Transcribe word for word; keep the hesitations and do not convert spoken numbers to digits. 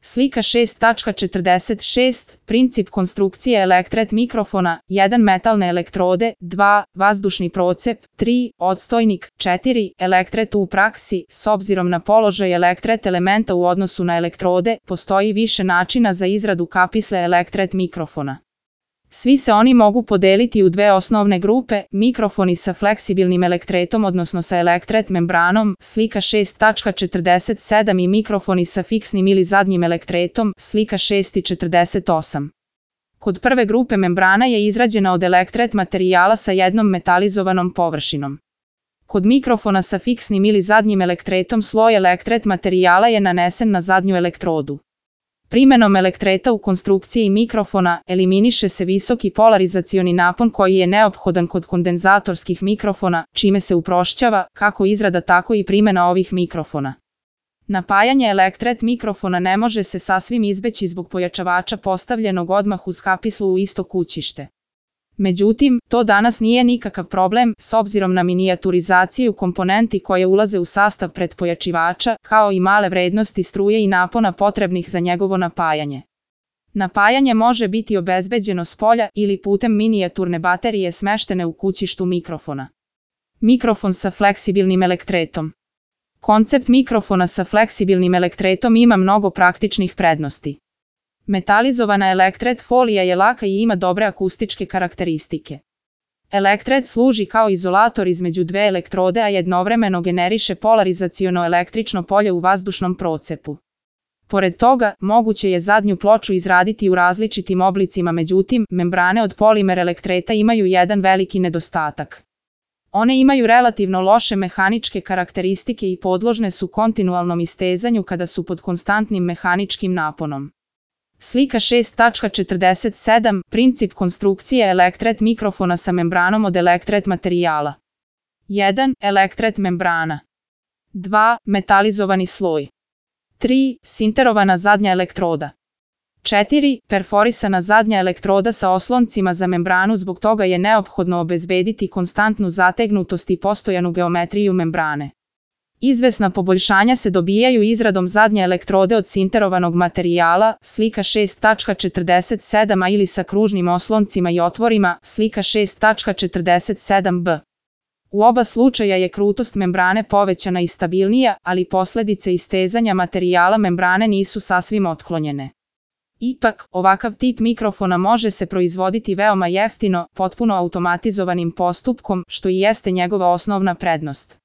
Slika šest tačka četrdeset šest. Princip konstrukcije elektret mikrofona. jedan. Metalne elektrode. dva. Vazdušni procep. tri. Odstojnik. četiri. Elektret u praksi. S obzirom na položaj elektret elementa u odnosu na elektrode, postoji više načina za izradu kapisle elektret mikrofona. Svi se oni mogu podeliti u dve osnovne grupe, mikrofoni sa fleksibilnim elektretom odnosno sa elektret membranom, slika šest tačka četrdeset sedam i mikrofoni sa fiksnim ili zadnjim elektretom, slika šest tačka četrdeset osam. Kod prve grupe membrana je izrađena od elektret materijala sa jednom metalizovanom površinom. Kod mikrofona sa fiksnim ili zadnjim elektretom sloj elektret materijala je nanesen na zadnju elektrodu. Primenom elektreta u konstrukciji mikrofona eliminiše se visoki polarizacioni napon koji je neophodan kod kondenzatorskih mikrofona, čime se uprošćava kako izrada tako i primena ovih mikrofona. Napajanje elektret mikrofona ne može se sasvim izbeći zbog pojačavača postavljenog odmah uz kapislu u isto kućište. Međutim, to danas nije nikakav problem s obzirom na minijaturizaciju komponenti koje ulaze u sastav pretpojačivača, kao i male vrednosti struje i napona potrebnih za njegovo napajanje. Napajanje može biti obezbeđeno spolja ili putem minijaturne baterije smeštene u kućištu mikrofona. Mikrofon sa fleksibilnim elektretom. Koncept mikrofona sa fleksibilnim elektretom ima mnogo praktičnih prednosti. Metalizovana elektret folija je laka i ima dobre akustičke karakteristike. Elektret služi kao izolator između dve elektrode, a jednovremeno generiše polarizaciono električno polje u vazdušnom procepu. Pored toga, moguće je zadnju ploču izraditi u različitim oblicima, međutim, membrane od polimer elektreta imaju jedan veliki nedostatak. One imaju relativno loše mehaničke karakteristike i podložne su kontinualnom istezanju kada su pod konstantnim mehaničkim naponom. Slika šest tačka četrdeset sedam. Princip konstrukcije elektret mikrofona sa membranom od elektret materijala. jedan. Elektret membrana. dva. Metalizovani sloj. tri. Sinterovana zadnja elektroda. četiri. Perforisana zadnja elektroda sa osloncima za membranu, zbog toga je neophodno obezbediti konstantnu zategnutost i postojanu geometriju membrane. Izvesna poboljšanja se dobijaju izradom zadnje elektrode od sinterovanog materijala, slika šest tačka četrdeset sedam a ili sa kružnim osloncima i otvorima, slika šest tačka četrdeset sedam b. U oba slučaja je krutost membrane povećana i stabilnija, ali posledice istezanja materijala membrane nisu sasvim otklonjene. Ipak, ovakav tip mikrofona može se proizvoditi veoma jeftino, potpuno automatizovanim postupkom, što i jeste njegova osnovna prednost.